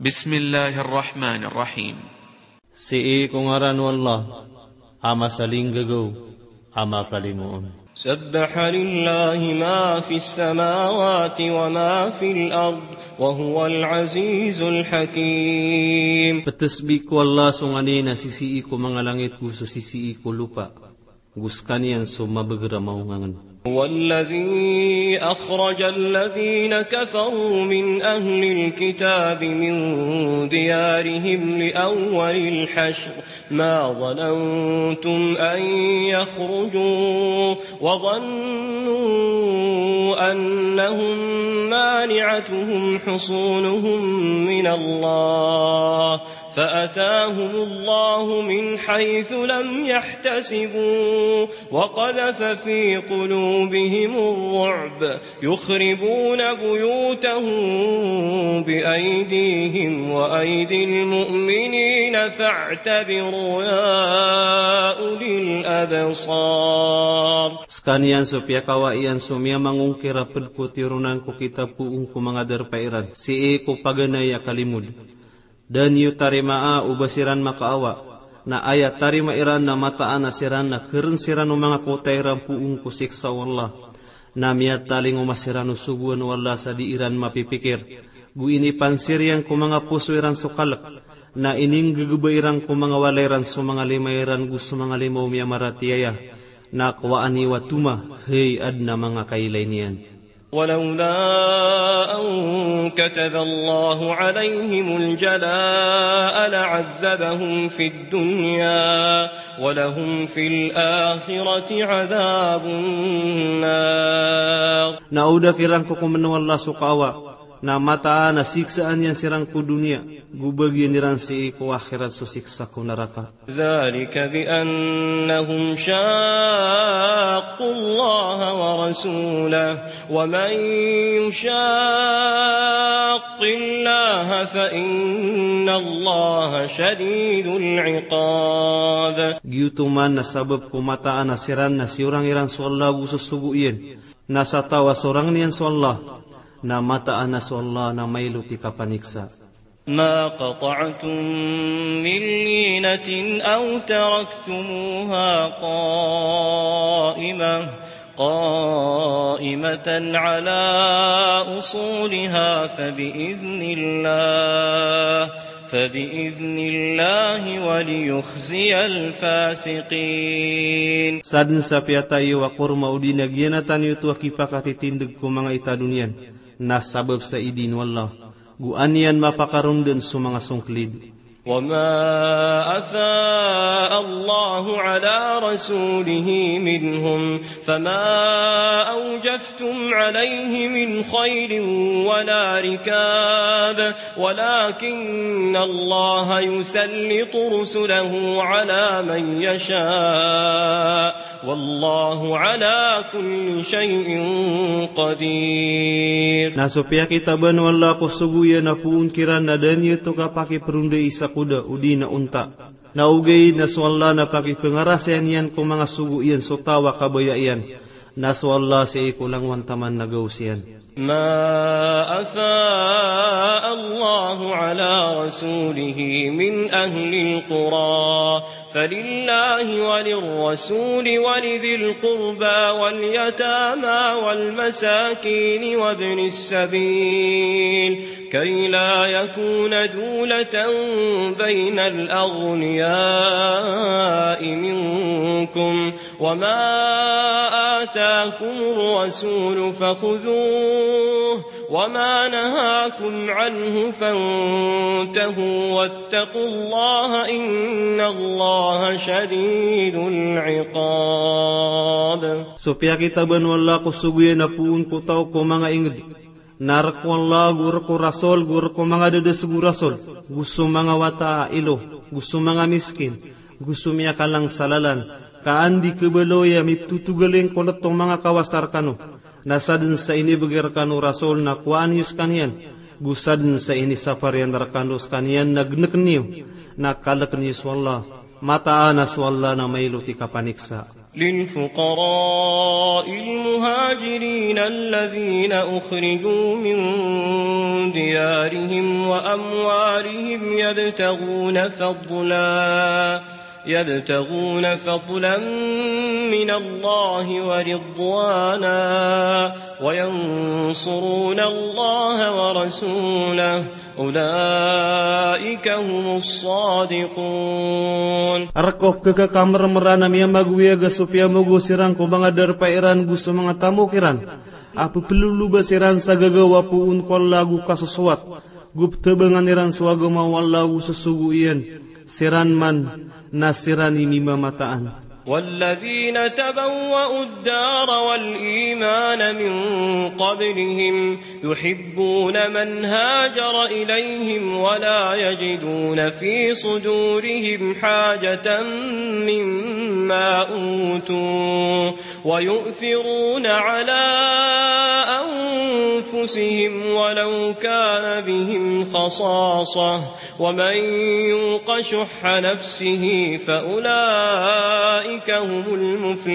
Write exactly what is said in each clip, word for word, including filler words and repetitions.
Bismillahir Rahmanir Rahim. Sii ko ngaran o Allah, a masalinggagaw, a makalimoon. سبح لله ما في السماوات وما في الأرض وهو العزيز الحكيم. Ptesbih ko Allah so nganin a sisii ko manga langit go so sisii ko lopa, go skaniyan so mabeger a maongangen. هو الذي أخرج الذين كفروا من أهل الكتاب من ديارهم لأول الحشر ما ظننتم أن يخرجوا وظنوا أنهم مانعتهم حصونهم من الله فأتاهم الله من حيث لم يحتسبوا وقذف في قلوبهم الرعب يخربون بيوتهم بأيديهم وأيدي المؤمنين فاعتبروا يا أولي الأبصار. Skaniyan so piyakawa iyan so miyamangongkir a ped ko tironan ko kitab poon ko manga darpa iran sii ko paganay a kalimod. Da niyo tarimaa o ba siran makaawa, na aya tarima iran na mataan a siran na keren siran o manga kota iran poon ko siksa o Allah. Na miyatalingoma siran o sogoan o Allah sa di iran mapipikir. Go inipansir iyan ko manga poso iran so kalek. Na ininggegeba iran ko manga walay iran so manga lima iran go so manga lima o miyamaratiyaya. Na kowaan iyo a toma, hay aden a manga kailay niyan. ولولا أن كتب الله عليهم الجلاء لعذبهم في الدنيا ولهم في الآخرة عذاب النار. Na o da kiran kokomen o Allah so kaawa, na mataan a siksaan iyan siran ko doniya, go bagian iran sii ko akhirat so siksa ko naraka. ذلك بأنهم شاقوا الله ورسوله ومن يشاق الله فإن الله شديد العقاب. Giyoto man na sabap ko mataan a siran na siyorang iran so Allah go so sogo iyan. Na sa taw a sorang iyan so Allah, na mataan a so Allah na mailot i kapaniksa. ما قطعتم من لينة أو تركتموها قائمة، قائمة على أصولها فبإذن الله، فبإذن الله وليخزي الفاسقين. Sadn sa piyatay iyo a korma odi na giyanatan iyo oto a kipakatitindg ko manga itado niyan, na sabap sa idin o Allah. Go an iyan mapakarondan so manga songklid. وما أفاء الله على رسوله منهم فما أوجفتم عليه من خيل ولا ركاب ولكن الله يسلط رسله على من يشاء والله على كل شيء قدير. Na so piyakitaban o Allah ko sogo iyan a poon kiran na da niyo oto kapakiprondai sa koda odi na onta. Na ogaid na so Allah na pakipngarasay niyan ko manga sogo iyan so taw a kabaya iyan. Na so Allah sii ko langowan taman na gaos iyan. ما أفاء الله على رسوله من أهل القرى فلله وللرسول ولذي القربى واليتامى والمساكين وابن السبيل كي لا يكون دولة بين الأغنياء منكم وما آتاكم الرسول فخذوه وما نهاكم عنه فانتهوا واتقوا الله إن الله شديد العقاب. So piyakitaban o Allah ko sogo iyan a poon ko taw ko manga ingd. Na rk o Allah, go rk o Rasul, go rk o manga dadasg o Rasul, go so manga wata a ilo, go so manga miskin, go so miyakalang sa lalan, ka an di khabaloy a miptotogaling ko lt o manga kawasa rkano. Na sadn sa inibgay rkano o Rasul na kowaan iyo skaniyan, go sadn sa inisapar iyan rkano skaniyan na gnk niyo, na kalk niyo so Allah, mataan a so Allah na mailot i kapaniksa. للفقراء المهاجرين الذين أخرجوا من ديارهم وأموالهم يبتغون فضلا، يبتغون فضلا من الله ورضوانا وينصرون الله ورسوله أولئك هم الصادقون. Rk o pkhakamermeran a miyamagoyag a so piyamogo siran ko manga darpa iran go so manga tamok iran a pepeloloba siran sa gagaw a poon ko Allah go kasosowat, go ptabangan iran so agama o Allah go sosogo iyan, siran man na siran i mimamataan. والذين تبوأوا الدار والإيمان من قبلهم يحبون من هاجر إليهم ولا يجدون في صدورهم حاجة مما أوتوا ويؤثرون على أنفسهم ولو كان بهم خصاصة ومن يوق شح نفسه فأولئك هم المفلحون.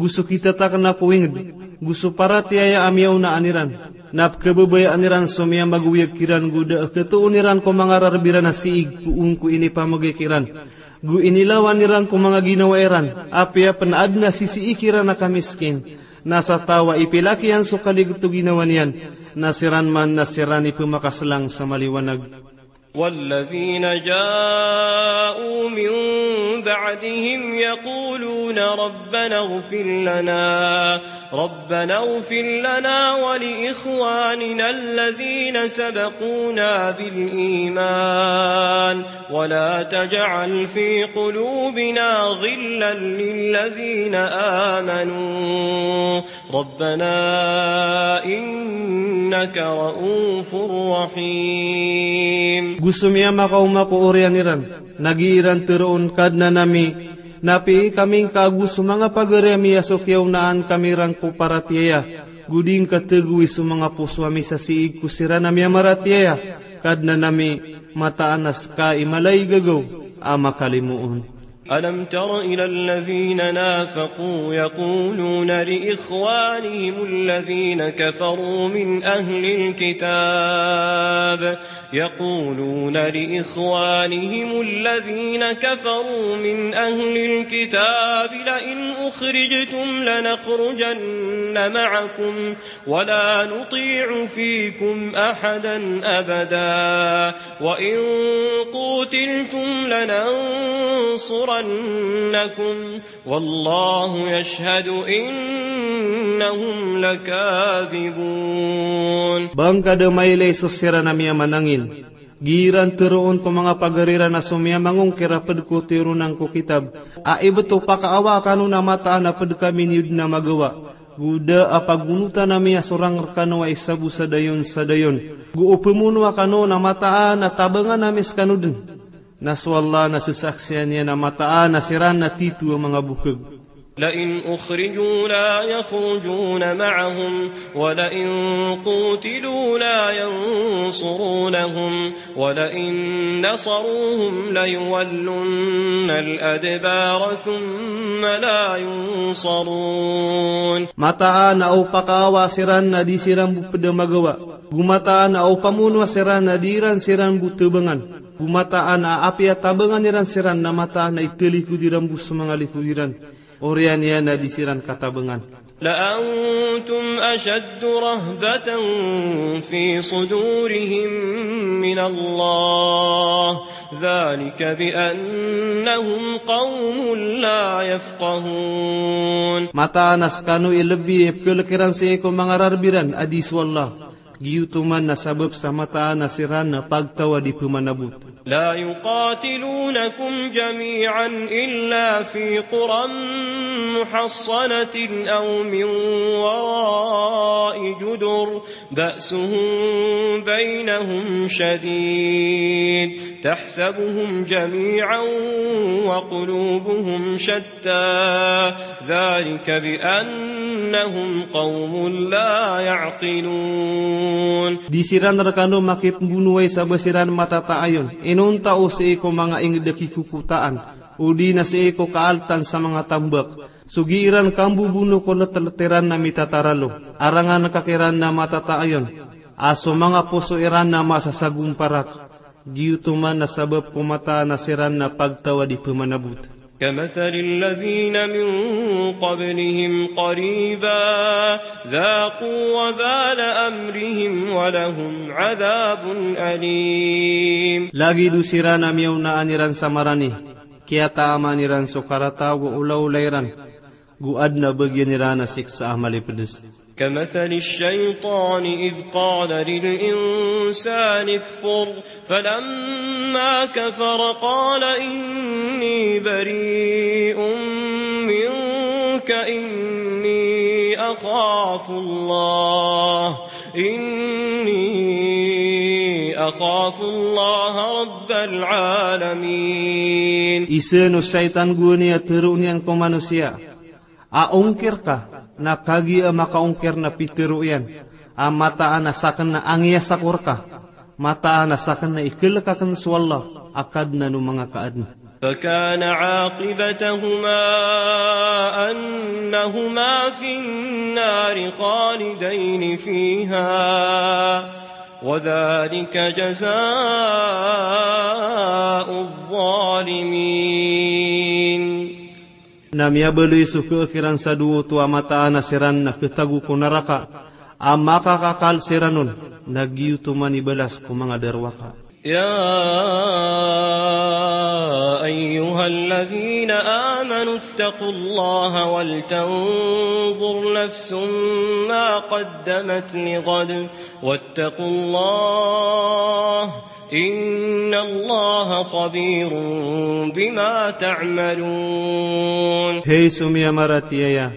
Go so kitatakna ko ingd, go so paratiyaya a miyaonaan iran, na pkhababayaan iran so miyamagoyag kiran go da a khatoon iran ko manga rarb iran a siig poon ko inipamagay kiran, go inilawan iran ko manga ginawa iran, apiya pn adn a sisii kiran a kamiskin, na sa taw a ipilak iyan so kaligto ginawa niyan, na siran man na siran i pmakaslang sa maliwanag. والذين جاءوا من بعدهم يقولون ربنا اغفر لنا، ربنا اغفر لنا ولإخواننا الذين سبقونا بالإيمان ولا تجعل في قلوبنا غلا للذين آمنوا ربنا إنك رءوف رحيم. Go so miyamakaoma ko oriyan iran, na gii ran tharoon, Kadnan ami, na pii kami ngka ago so manga pagari ami a so kiyaonaan kami ran ko paratiyaya, go di ngka thagowi so manga poso ami sa siig ko siran a miyamaratiyaya, Kadnan ami, mataan a ska i mala i gagaw a makalimoon. ألم تر إلى الذين نافقوا يقولون لإخوانهم الذين كفروا من أهل الكتاب، يقولون لإخوانهم الذين كفروا من أهل الكتاب لئن أخرجتم لنخرجن معكم ولا نطيع فيكم أحدا أبدا وإن قوتلتم لننصرنكم والله يشهد إنهم لكاذبون. Ba ngka da mailay so siran a miyamanangin, gii ran tharoon ko manga pagari ran a so miyamangongkir a pd ko tiyoron angko kitab, a ibt o pakaawa kano na mataan a pd kami niyo dn a magawa, go da a pagonotan ami a sorang rkano a isa bo sa dayon sa dayon, go o pmonoa kano na mataan a tabangan ami skano dn. Na so Allah na sasaksian iyan a mataan a siran na tito a manga bokhag. لئن أخرجوا لا يخرجون معهم ولئن قوتلوا لا ينصرونهم ولئن نصروهم ليولن الأدبار ثم لا ينصرون. Mataan a o pakaawa siran na di siran bo pd a magawa, go mataan a o pamonoa siran na di ran siran bo tabangan, go mataan a apiya tabangan iran siran na mataan a italikod iran bo so manga likod iran. Oriyan iyan na di siran katabangan. لأنتم أشد رهبة في صدورهم من الله ذلك بأنهم قوم لا يفقهون. Mataan a skano i lbi a pkhalk iran sii ko manga rarb iran a di so Allah. Giyoto man na sabap sa mataan a siran na pagtaw a di pmanabot. لا يقاتلونكم جميعا إلا في قرى محصنة أو من وراء جدر بأسهم بينهم شديد تحسبهم جميعا وقلوبهم شتى ذلك بأنهم قوم لا يعقلون. Di siran rkano makipmbonowai sa ba siran matataayon, inonta o sii ko manga ingd a kikokotaan, Odi na sii ko kaaltan sa manga tambak. So gii ran kambobono ko letlet iran na mitataralo. Arangan ka kiran na matataayon. A so manga poso iran na masasagomparak. Giyoto man na sabap ko mataan a siran na pagtaw a di pemanabot. كمثل الذين من قبلهم قريبا ذاقوا وبال أمرهم ولهم عذاب أليم. Lagid o siran a miyaonaan iran sa marani, kiyataaman iran so karata ago olaola iran, go adn a bagian iran a siksa a malipedes. كمثل الشيطان إذ قال للإنسان اكفر فلما كفر قال إني بريء منك إني أخاف الله إني أخاف الله رب العالمين. Isa o shaytan gowani a tero iyan ko manosiya a ongkir ka, na kagiya makaongkir na pitero iyan a mataan a saken na angiya sako reka, mataan a saken na ikelek aken so Allah a Kadnan o manga kaadn. فكان عاقبتهما أنهما في النار خالدين فيها وذلك جزاء الظالمين. Na miyabaloy so keek iran sa dowa oto a mataan a siran na ketago ko naraka a makakakal siran on, na giyoto man i balas ko manga darowaka. يا أيها الذين آمنوا اتقوا الله ولتنظر نفس ما قدمت لغد واتقوا الله إن الله خبير بما تعملون. Hay so miyamaratiyaya,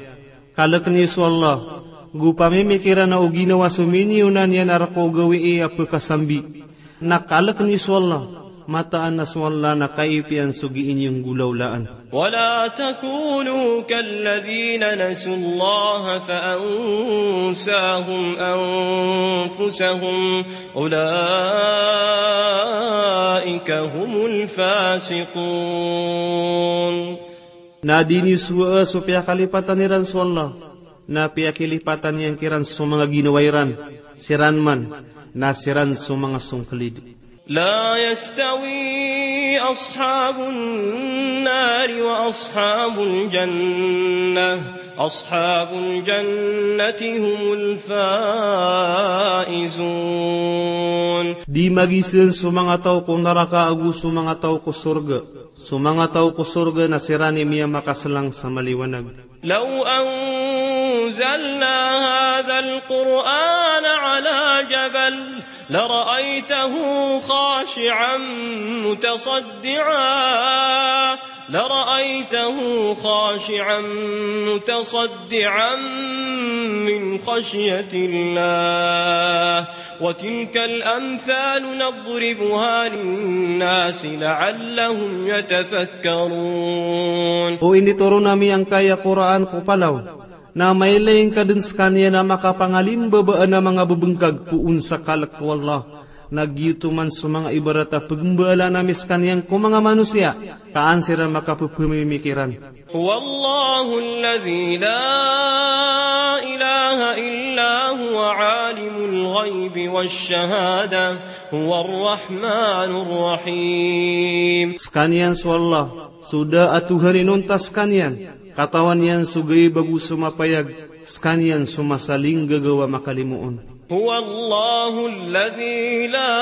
kalek niyo so Allah, go pamimikiran o ginawa so miniyonan iyan a reka o gawii a pekasambi. Na kalek niyo so Allah, mataan a so Allah na kaipiyan so gii niyo nggolawlaan. ولا تكونوا كالذين نسوا الله فأنساهم أنفسهم أولئك هم الفاسقون. Na di niyo sowaa so piyakalipatan iran so Allah, na piyakilipatan iyan kiran so manga ginawa iran, siran man na siran so manga songkelid. لا يستوي أصحاب النار وأصحاب الجنة أصحاب الجنة هم الفائزون. Di magisan so manga taw ko naraka ago so manga taw ko sorga. So manga taw ko sorga na siran i miyamakaselang sa maliwanag. لو أنزلنا هذا القرآن على جبل لرأيته خاشعا متصدعا لرأيته خاشعا متصدعا من خشية الله وتلك الأمثال نضربها للناس لعلهم يتفكرون. O initoron ami angkaya Qur'an ko palaw, na mailay ngka den sekaniyan a makapangalimbabaan a manga bebengkag poon sa kalek o Allah. Na giyoto man so manga ibarat a pegembaalaan ami sekaniyan ko manga manosiya, ka an siran makapepemimikiran. هو الله الذي لا إله إلا هو عالم الغيب والشهادة هو الرحمن الرحيم. Sekaniyan so Allah, so da a Tohan inonta sekaniyan, katawan iyan so gaib ago so mapayag, sekaniyan so masalinggagaw a makalimoon. هو الله الذي لا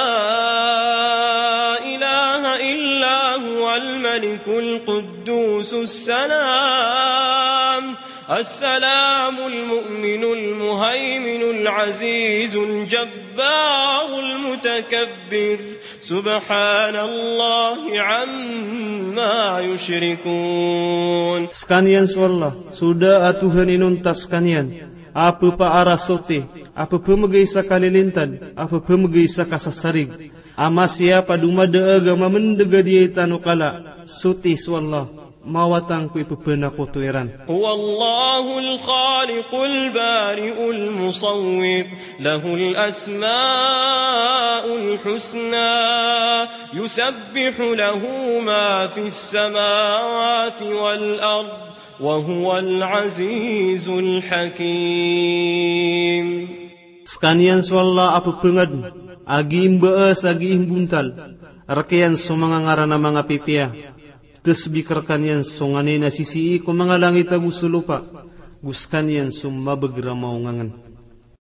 إله إلا هو الملك القدوس السلام السلام المؤمن المهيمن العزيز الجبار المتكبر سبحان الله عما يشركون. Sekaniyan so Allah, so da a Tohan inonta sekaniyan, a pepaarasoti, a pepemegay sa kalilintad, a pepemegay sa kasasarig, a masiyap a domadaag a mamendeg a diyaitan o kala, soti so Allah. mawatan ko ipepanakoto iran. هو الله الخالق البارئ المصور، له الأسماء الحسنى، يسبح له ما في السماوات والأرض، وهو العزيز الحكيم. Sekaniyan so Allah a pepengadn, a giimbaas, a giimbontal. Rekiyan so manga ngaran a manga pipiya. Tesbik rekaniyan so nganin a sisii ko manga langit ago so lopa. Go sekaniyan so mabeger a maongangen.